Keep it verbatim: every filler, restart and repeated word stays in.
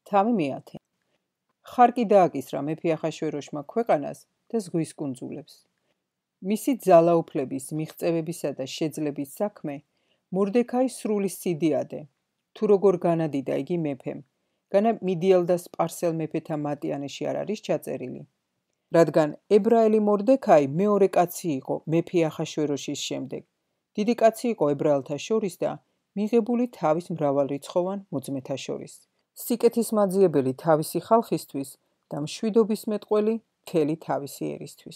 თავი მეათე. ხარკი დააკისრა მეფე ახაშვეროშმა ქვეყანას და ზღვის კუნძულებს. მისი ძალაუფლების, მიღწევებისა და შეძლების საქმე მორდექაი სრული სიდიადე, თუ როგორ განადიდა იგი მეფემ, განა მიდიელ და სპარსელ მეფეთა მატიანეში არ არის ჩაწერილი. რადგან ებრაელი მორდექაი მეორე კაცი იყო მეფე ახაშვეროშის შემდეგ. დიდი კაცი იყო ებრაელთა შორის და მიღებული თავის მრავალრიცხოვან მოძმეთა შორის. სიკეთის მაძიებელი თავისი ხალხისთვის და მშვიდობის მეტყველი მთელი თავისი ერისთვის.